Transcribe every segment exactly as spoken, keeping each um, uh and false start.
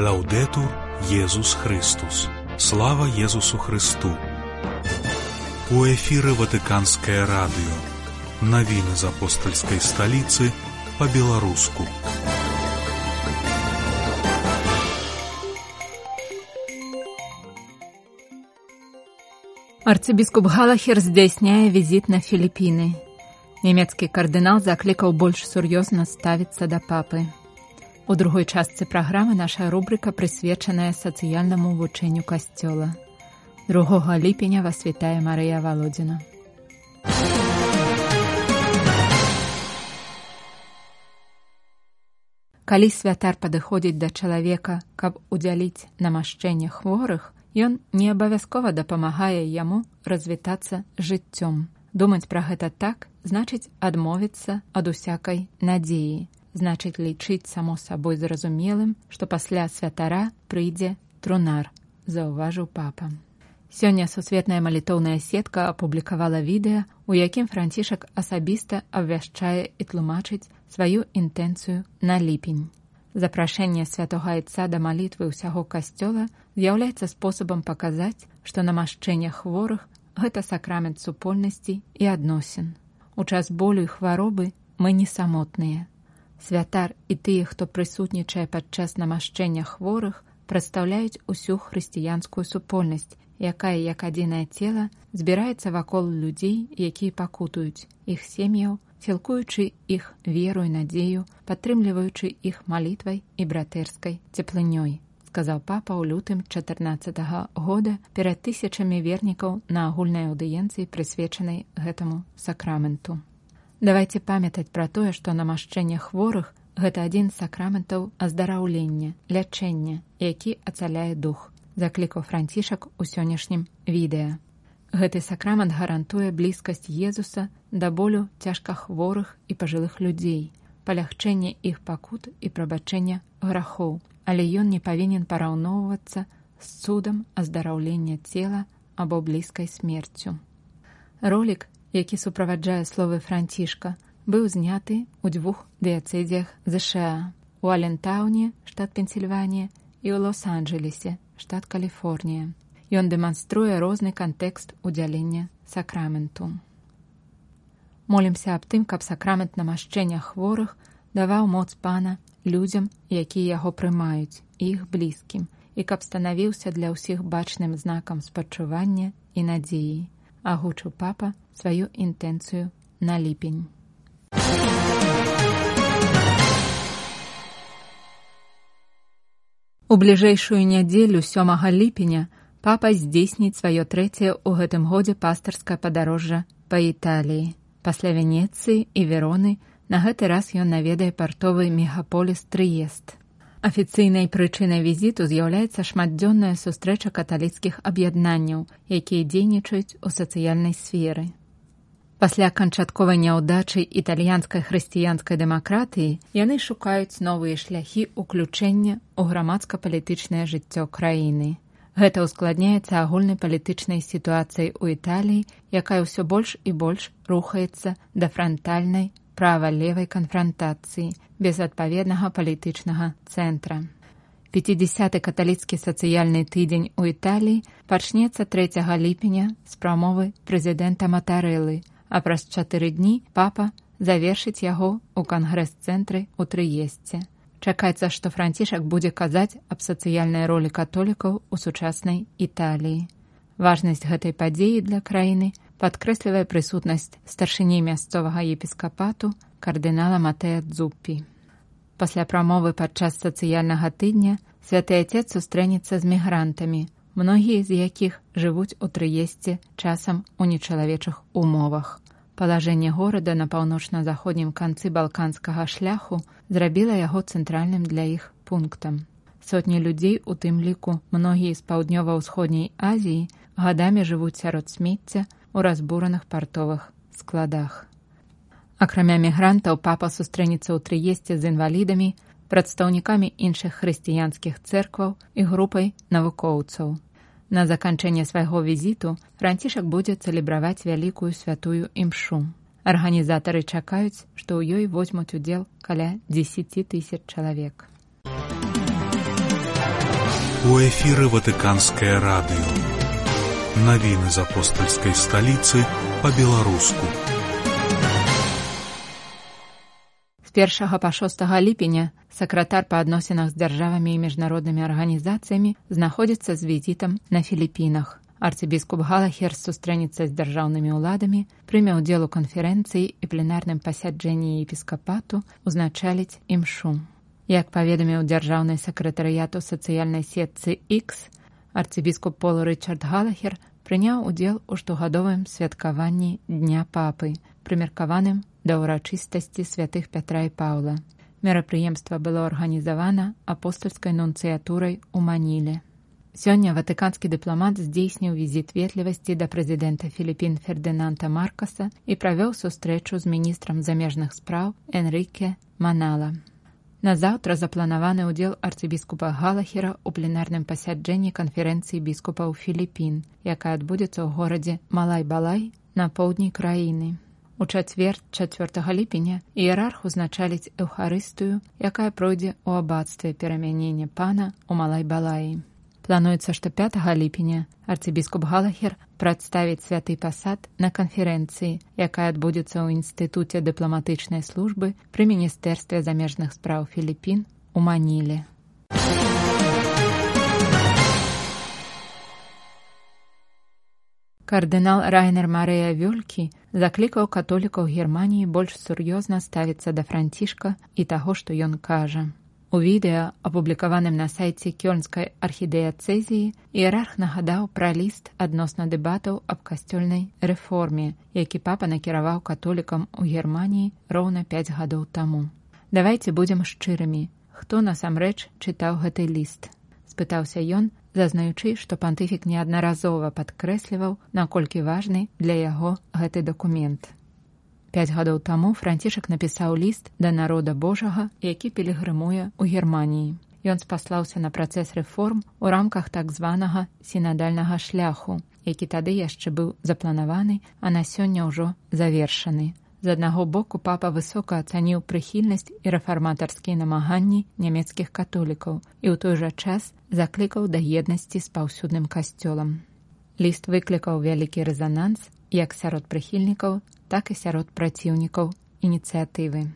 Лаўдэтур Езус Христус. Слава Езусу Христу. У эфіры Ватыканскае радыё. Навіны з апостальскай сталіцы па-беларуску. Арцыбіскуп Галахер здзяйсняе візіт на Філіпіны. Нямецкі кардынал заклікаў больш сур'ёзна ставіцца да папы. У другой частцы праграмы наша рубрыка прысвечаная сацыяльнаму вучэнню касцёла. другога ліпеня вас вітае Марыя Валодзіна. Калі святар падыходзіць да чалавека, каб удзяліць намашчэнне хворых, ён не абавязкова дапамагае яму развітацца жыццём. Думаць пра гэта так, значыць адмовіцца ад усякай надзеі. Значыць лічыць само сабой зразумелым, што пасля святара прыйдзе трунар, заўважыў папа. Сёння сусветная малітоўная сетка апублікавала відэа, у якім Францішак асабіста абвяшчае і тлумачыць сваю інтэнцыю на ліпень. Запрашэнне святога айца да малітвы ўсяго касцёла з'яўляецца спосабам паказаць, што намашчэнне хворых – гэта сакрамент супольнасці і адносін. У час болю і хваробы мы не самотныя. Святар і тыя, хто прысутнічае падчас намашчэння хворых, прадстаўляюць усю хрысціянскую супольнасць, якая, як адзінае цела, збіраецца вакол людзей, якія пакутуюць, іх сем'яў, сілкуючы іх веру і надзею, падтрымліваючы іх малітвай і братэрскай цеплынёй, сказаў папа ў лютым чатырнаццатага года перад тысячамі вернікаў на агульнай аўдыенцыі, прысвечанай гэтаму сакраменту. Давайце памятаць пра тое, што намашчэнне хворых – гэта адзін з сакраментаў аздараўлення, лячэння, які ацаляе дух, заклікаў Францішак у сённяшнім відэа. Гэты сакрамент гарантуе блізкасць Езуса да болю цяжкахворых і пажылых людзей, палягчэнне іх пакут і прабачэння грахоў, але ён не павінен параўноўвацца з цудам аздараўлення цела або блізкай смерцю. Ролік, які суправаджае словы Францішка, быў зняты ў двух дыяцэзіях ЗША – у Алентауне, штат Пенсільванія, і ў Лос-Анджэлесе, штат Каліфорнія. Ён дэманструе розны кантэкст удзялення сакраменту. Молімся аб тым, каб сакрамент намашчэння хворых даваў моц Пана людзям, якія яго прымаюць, і іх блізкім, і каб станавіўся для ўсіх бачным знакам спачування і надзеі. Агучыў папа сваю інтэнцыю на ліпень. У бліжэйшую нядзелю сёмага ліпеня папа здзейсніць сваё трэцяе ў гэтым годзе пастырскае падарожжа па Італіі. Пасля Венецыі і Вероны на гэты раз ён наведае партовы мегаполіс Трыест. Афіцыйнай прычынай візіту з'яўляецца шматдзённая сустрэча каталіцкіх аб'яднанняў, якія дзейнічаюць у сацыяльнай сферы. Пасля канчатковай няўдачы італьянскай хрысціянскай дэмакратыі яны шукаюць новыя шляхі ўключэння ў грамадска-палітычнае жыццё краіны. Гэта ўскладняецца агульнай палітычнай сітуацыяй у Італіі, якая ўсё больш і больш рухаецца да франтальнай права-левай канфрантацыі без адпаведнага палітычнага цэнтра. пяцідзясяты каталіцкі сацыяльны тыдзень у Італіі пачнецца трэцяга ліпеня з прамовы прэзідэнта Матарэлы, а праз чатыры дні папа завершыць яго ў кангрэс-цэнтры ў Трыесце. Чакаецца, што Францішак будзе казаць аб сацыяльнай ролі католікаў у сучаснай Італіі. Важнасць гэтай падзеі для краіны падкрэслівае прысутнасць старшыні мясцовага епіскапату кардынала Матэа Дзуппі. Пасля прамовы падчас сацыяльнага тыдня святы Отец сустрэнецца з мігрантамі, многія з якіх жывуць у Трыесце часам у нечалавечых умовах. Палажэнне горада на паўночна-заходнім канцы балканскага шляху зрабіла яго цэнтральным для іх пунктам. Сотні людзей, у тым ліку многія з паўднёва-ўсходняй Азіі, гадамі жывуць сярод смецця у разбураных партовых складах. Акрамя мігрантаў, папа сустрэнецца ў Трыесце з інвалідамі, прадстаўнікамі іншых хрысціянскіх цэркваў і групай навукоўцаў. На заканчэнне свайго візіту Францішак будзе цэлебраваць вялікую святую імшу. Арганізатары чакаюць, што ў ёй возьмуць удзел каля дзесяці тысяч чалавек. У эфіры Ватыканскае радыё. Навіны з апостальскай сталіцы па-беларуску. З першага па шостага ліпеня сакратар па адносінах з дзяржавамі і міжнароднымі арганізацыямі знаходзіцца з візітам на Філіпінах. Арцыбіскуп Галахер сустрэнецца з дзяржаўнымі ўладамі, прыме ўдзел у канферэнцыі і пленарным пасяджэнні епіскапату, узначаліць імшу. Як паведаміў дзяржаўны сакратарыят у сацыяльнай сетцы X, арцыбіскуп Пол Рычард Галахер прыняў удзел у штогадовым святкаванні Дня папы, прымеркаваным да ўрачыстасці святых Пятра і Паўла. Мерапрыемства было арганізавана апостальскай нунцыятурай у Маніле. Сёння ватыканскі дыпламат здзейсніў візіт ветлівасці да прэзідэнта Філіпін Фердынанда Маркаса і правёў сустрэчу з міністрам замежных спраў Энрыке Манала. Назаўтра запланаваны ўдзел арцыбіскупа Галахера ў пленарным пасяджэнні канферэнцыі біскупаў Філіпін, якая адбудзецца ў горадзе Малай-Балай на поўдні краіны. У чацвер чацвёртага ліпеня іерарх узначаліць эўхарыстыю, якая пройдзе ў абацтве перамянення пана ў Малай-Балаі. Плануецца, што пятага ліпеня арцыбіскуп Галахер прадставіць святы пасад на канферэнцыі, якая адбудзецца ў Інстытуце дыпламатычнай службы пры Міністэрстве замежных спраў Філіпін у Маніле. Кардынал Райнер Марыя Вёлькі заклікаў католікаў Германіі больш сур'ёзна ставіцца да Францішка і таго, што ён кажа. У відэа, апублікаваным на сайце Кёльнскай архідыяцэзіі, іерарх нагадаў пра ліст адносна дэбатаў аб касцёльнай рэформе, які папа накіраваў католікам у Германіі роўна пяць гадоў таму. «Давайце будзем шчырымі. Хто насамрэч чытаў гэты ліст?» – спытаўся ён, зазнаючы, што пантыфік неаднаразова падкрэсліваў, наколькі важны для яго гэты дакумент. Пяць гадоў таму Францішак напісаў ліст да народа Божага, які пілігрымуе ў Германіі. Ён спаслаўся на працэс рэформ у рамках так званага сінадальнага шляху, які тады яшчэ быў запланаваны, а на сёння ўжо завершаны. З аднаго боку папа высока ацаніў прыхільнасць і рэфарматарскія намаганні нямецкіх католікаў і ў той жа час заклікаў да еднасці з паўсюдным касцёлам. Ліст выклікаў вялікі рэзананс як сярод прыхільнікаў, так і сярод праціўнікаў ініцыятывы.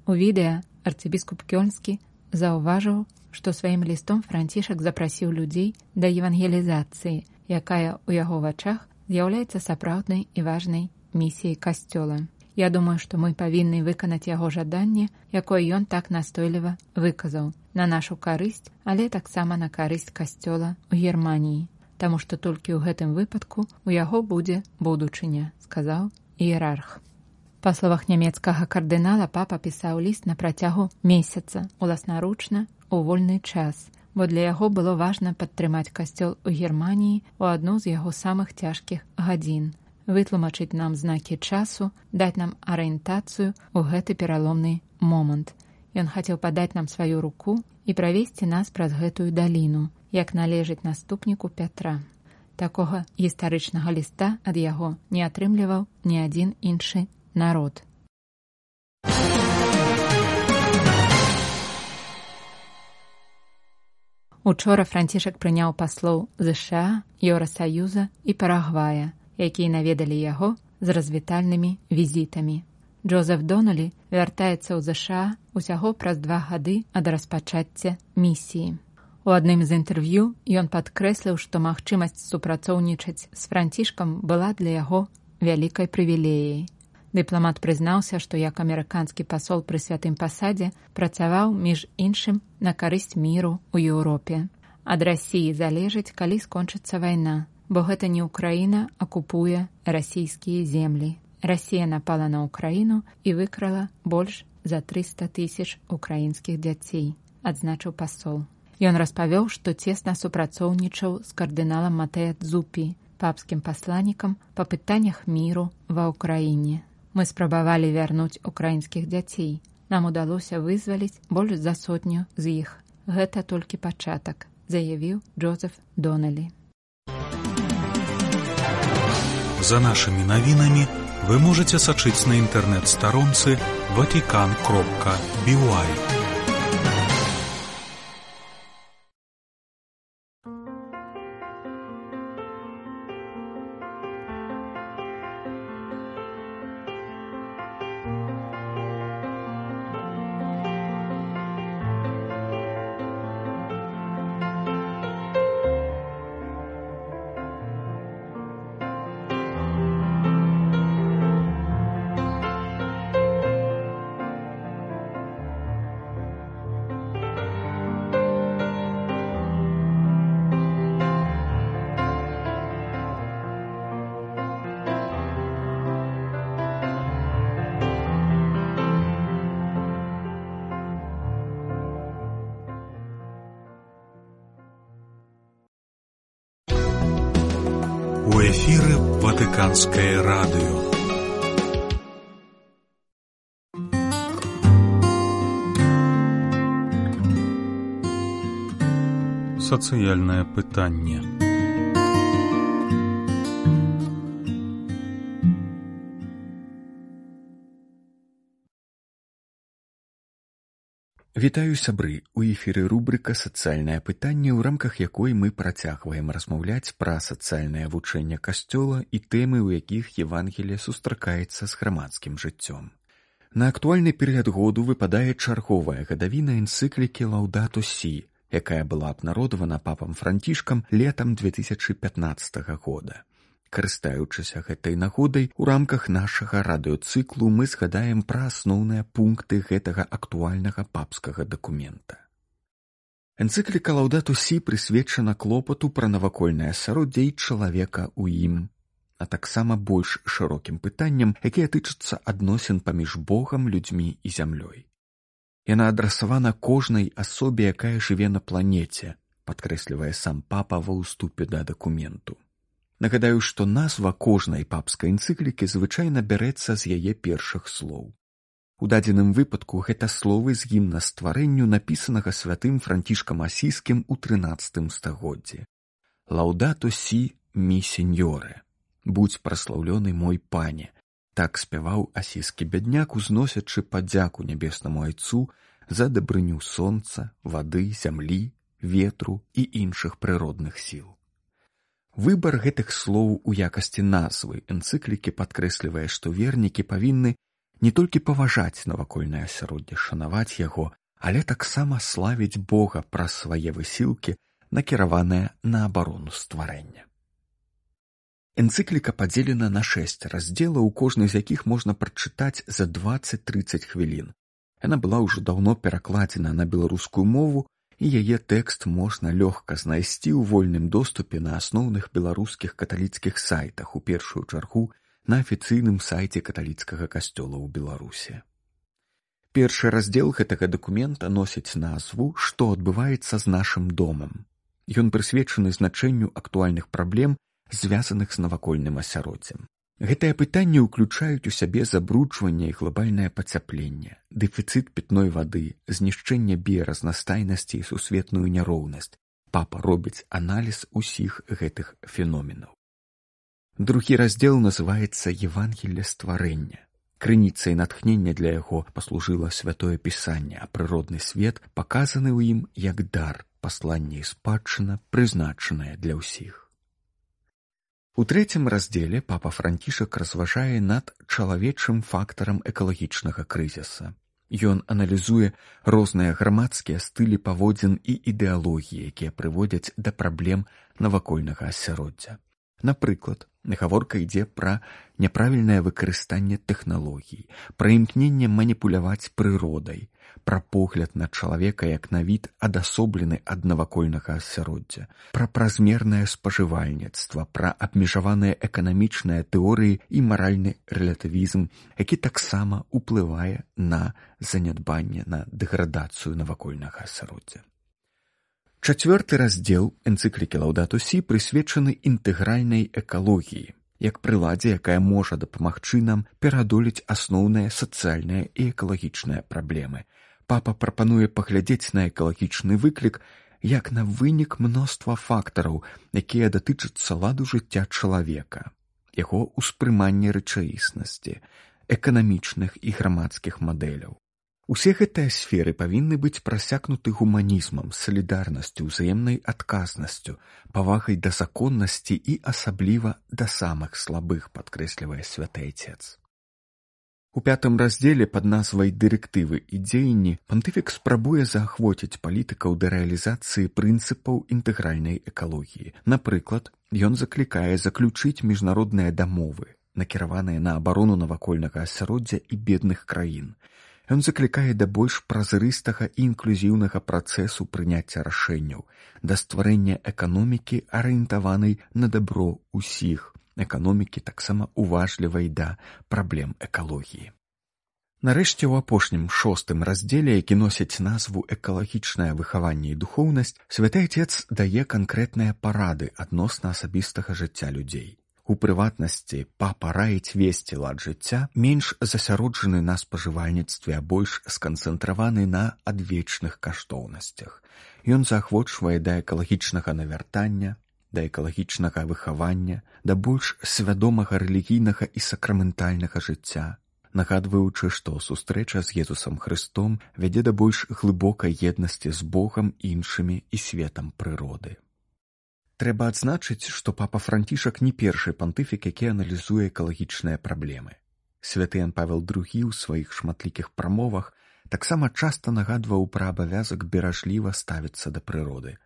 У відэа арцыбіскуп Кёльнскі заўважыў, што сваім лістом Францішак запрасіў людзей да евангелізацыі, якая ў яго вачах з'яўляецца сапраўднай і важнай місіяй касцёла. Я думаю, што мы павінны выканаць яго жаданне, якое ён так настойліва выказаў, на нашу карысць, але таксама на карысць касцёла ў Германіі, таму што толькі ў гэтым выпадку у яго будзе будучыня, сказаў іерарх. Па словах нямецкага кардынала, папа пісаў ліст на працягу месяца, уласнаручна, у вольны час, бо для яго было важна падтрымаць касцёл у Германіі ў адну з яго самых цяжкіх гадзін, вытлумачыць нам знакі часу, даць нам арыентацыю ў гэты пераломны момант. Ён хацеў падаць нам сваю руку і правесці нас праз гэтую даліну, як належыць наступніку Пятра. Такога гістарычнага ліста ад яго не атрымліваў ні адзін іншы народ. Учора Францішак прыняў паслоў ЗША, Еўрасаюза і Парагвая, якія наведалі яго з развітальнымі візітамі. Джозеф Доналі вяртаецца ў ЗША усяго праз два гады ад распачацця місіі. У адным з інтэрв'ю ён падкрэсліў, што магчымасць супрацоўнічаць з Францішкам была для яго вялікай прывілеяй. Дыпламат прызнаўся, што як амерыканскі пасол пры святым пасадзе працаваў, між іншым, на карысць міру ў Еўропе. Ад Расіі залежыць, калі скончыцца вайна, бо гэта не Ўкраіна акупуе расійскія землі. Расія напала на Ўкраіну і выкрала больш за трыста тысяч украінскіх дзяцей, адзначыў пасол. Ён распавёў, што цесна супрацоўнічаў з кардыналам Матэа Дзупі, папскім пасланнікам па пытаннях міру ва Ўкраіне. Мы спрабавалі вярнуць украінскіх дзяцей. Нам удалося вызваліць больш за сотню з іх. Гэта толькі пачатак, заявіў Джозеф Доналі. За нашымі навінамі вы можаце сачыць на інтэрнэт-старонцы ватикан кропка би уай. эфіры Ватыканскае радыё. Сацыяльнае пытанне. Вітаю, сябры! У эфіры рубрыка «Сацыяльнае пытанне», у рамках якой мы працягваем размаўляць пра сацыяльнае вучэнне Касцёла і тэмы, у якіх Евангелие сустракаецца з грамадскім жыццём. На актуальны перыяд году выпадае чарговая гадавіна энцыклікі «Лаўдату Сі», якая была абнародавана папам Францішкам летам две тысячы пятнаццатага года. Карыстаючыся гэтай нагодай, у рамках нашага радыёцыклу мы згадаем пра асноўныя пункты гэтага актуальнага папскага дакумента. Энцыкліка «Лаўдату Сі» прысвечана клопату пра навакольнае асяроддзе і чалавека ў ім, а таксама больш шырокім пытанням, якія тычацца адносін паміж Богам, людзьмі і зямлёй. Яна адрасавана кожнай асобе, якая жыве на планеце, падкрэслівае сам папа ва ўступе да дакументу. Нагадаю, што назва кожнай папскай энцыклікі звычайна бярэцца з яе першых слоў. У дадзеным выпадку гэта словы з гімна стварэнню, напісанага святым Францішкам Асійскім у трынаццатым стагоддзі. «Лаўдату Сі мі сеньоре» – «Будзь праслаўлёны мой пане». Так спяваў асійскі бядняк, узносячы падзяку нябеснаму айцу за дабрыню сонца, вады, зямлі, ветру і іншых прыродных сіл. Выбар гэтых слоў у якасці назвы энцыклікі падкрэслівае, што вернікі павінны не толькі паважаць навакольнае асяроддзе, шанаваць яго, але таксама славіць Бога праз свае высілкі, накіраваныя на абарону стварэння. Энцыкліка падзелена на шэсць раздзелаў, у кожны з якіх можна прачытаць за дваццаць-трыццаць хвілін. Яна была ўжо даўно перакладзена на беларускую мову, і яе тэкст можна лёгка знайсці ў вольным доступе на асноўных беларускіх каталіцкіх сайтах, у першую чаргу на афіцыйным сайце каталіцкага касцёла ў Беларусі. Першы раздзел гэтага дакумента носіць назву «Што адбываецца з нашым домам». Ён прысвечаны значэнню актуальных праблем, звязаных з навакольным асяроддзем. Гэтыя пытанні ўключаюць у сябе забруджванне і глобальнае пацяпленне, дэфіцыт пітной вады, знішчэнне біяразнастайнасці і сусветную няроўнасць. Папа робіць аналіз усіх гэтых феноменаў. Другі раздзел называецца «Евангелие стварэння». Крыніцай натхнення для яго паслужыла святое пісанне, а прыродны свет паказаны ў ім як дар, пасланне і спадчына, прызначаная для ўсіх. У трэцім раздзеле папа Францішак разважае над чалавечым фактарам экалагічнага крызіса. Ён аналізуе розныя грамадскія стылі паводзін і ідэалогіі, якія прыводзяць да праблем навакольнага асяроддзя. Напрыклад, гаворка ідзе пра няправільнае выкарыстанне тэхналогій, пра імкненне маніпуляваць прыродай, пра погляд на чалавека як на від адасоблены ад навакольнага асяроддзя, пра празмернае спажывальніцтва, пра абмежаваныя эканамічныя тэорыі і маральны рэлятывізм, які таксама ўплывае на занядбанне, на дэградацыю навакольнага асяроддзя. Чацвёрты раздзел энцыклікі «Лаўдату Сі» прысвечаны інтэгральнай экалогіі, як прыладзе, якая можа дапамагчы нам пераадолець асноўныя сацыяльныя і экалагічныя праблемы. Папа прапануе паглядзець на экалагічны выклік як на вынік мноства фактараў, якія датычацца ладу жыцця чалавека, яго ўспрымання рэчаіснасці, эканамічных і грамадскіх мадэляў. Усе гэтыя сферы павінны быць прасякнуты гуманізмам, салідарнасцю, узаемнай адказнасцю, павагай да законнасці і асабліва да самых слабых, падкрэслівае святы Айцец. У пятым раздзеле пад назвай «Дырэктывы і дзеянні» пантыфік спрабуе заахвоціць палітыкаў да рэалізацыі прынцыпаў інтэгральнай экалогіі. Напрыклад, ён заклікае заключыць міжнародныя дамовы, накіраваныя на абарону навакольнага асяроддзя і бедных краін. Ён заклікае да больш празрыстага і інклюзіўнага працэсу прыняцця рашэнняў, да стварэння эканомікі, арыентаванай на дабро ўсіх, эканомікі таксама уважлівай да праблем экалогіі. Нарэшце, у апошнім шостым раздзеле, які носіць назву «Экалагічнае выхаванне і духоўнасць», святы Айцец дае канкрэтныя парады адносна асабістага жыцця людзей. У прыватнасці, папа раіць весці лад жыцця, менш засяроджаны на спажывальніцтве, а больш сканцэнтраваны на адвечных каштоўнасцях. Ён заахвочвае да экалагічнага навяртання, да экалагічнага выхавання, да больш свядомага рэлігійнага і сакраментальнага жыцця, нагадваючы, што сустрэча з Езусам Хрыстом вядзе да больш глыбокай еднасці з Богам, іншымі і светам прыроды. Трэба адзначыць, што папа Францішак не першы пантыфік, які аналізуе экалагічныя праблемы. Святы Ян Павел другі ў сваіх шматлікіх прамовах таксама часта нагадваў пра абавязак беражліва ставіцца да прыроды.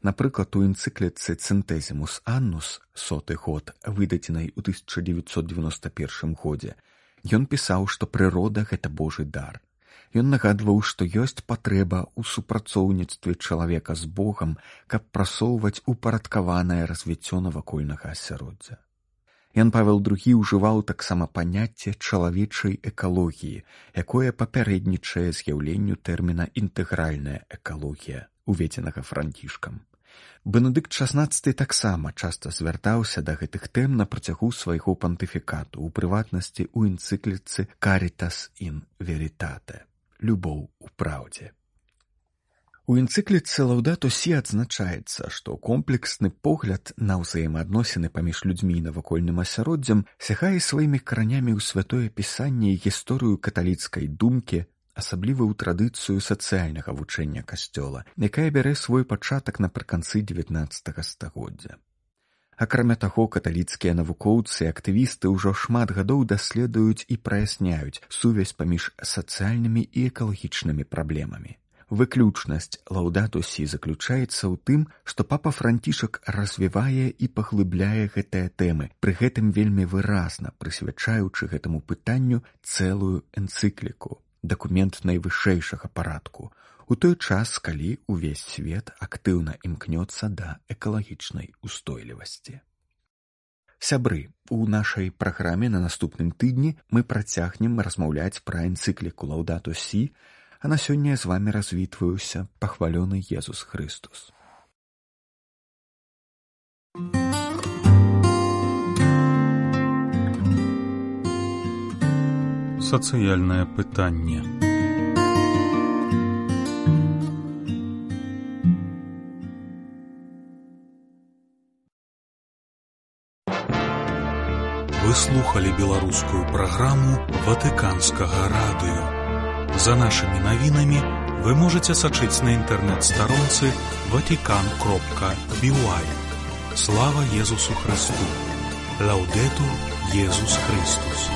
Напрыклад, у энцыкліцы «Центезімус Аннус», соты год, выдадзенай у тысяча дзевяцьсот дзевяноста першым годзе, ён пісаў, што прырода – гэта Божы дар. Ён нагадваў, што ёсць патрэба ў супрацоўніцтве чалавека з Богам, каб прасоўваць упарадкаванае развіццё навакольнага асяроддзя. Ян Павел другі ўжываў таксама паняцце чалавечай экалогіі, якое папярэднічае з'яўленню тэрміна «інтэгральная экалогія», уведзенага Францішкам. Бенедыкт шаснаццаты таксама часта звяртаўся да гэтых тэм на працягу свайго пантыфікату, у прыватнасці ў энцыкліцы «Caritas in veritate» – «Любоў у праўдзе». У энцыкліцы «Лаўдату сі» адзначаецца, што комплексны погляд на ўзаемаадносіны паміж людзьмі і навакольным асяроддзем сягае сваімі каранямі ў святое пісанне і гісторыю каталіцкай думкі, асабліва ў традыцыю сацыяльнага вучэння Касцёла, якая бярэ свой пачатак напрыканцы дзевятнаццатага стагоддзя. Акрамя таго, каталіцкія навукоўцы і актывісты ўжо шмат гадоў даследуюць і праясняюць сувязь паміж сацыяльнымі і экалагічнымі праблемамі. Выключнасць «Лаўдату сі» заключаецца ў тым, што папа Францішак развівае і паглыбляе гэтыя тэмы, пры гэтым вельмі выразна прысвячаючы гэтаму пытанню цэлую энцыкліку, дакумент найвышэйшага парадку, у той час, калі ўвесь свет актыўна імкнецца да экалагічнай устойлівасці. Сябры, у нашай праграме на наступным тыдні мы працягнем размаўляць пра энцыкліку «Лаўдату сі», а на сёння з вамі развітваюся, пахвалёны Езус Хрыстус. Сацыяльнае пытанне. Вы слухали беларускую праграму Ватыканскага радыё. За нашымі навінамі вы можаце сачыць на інтэрнэт-старонцы ватикан кропка би уай. Слава Езусу Христу! Лаудетур Езус Христус!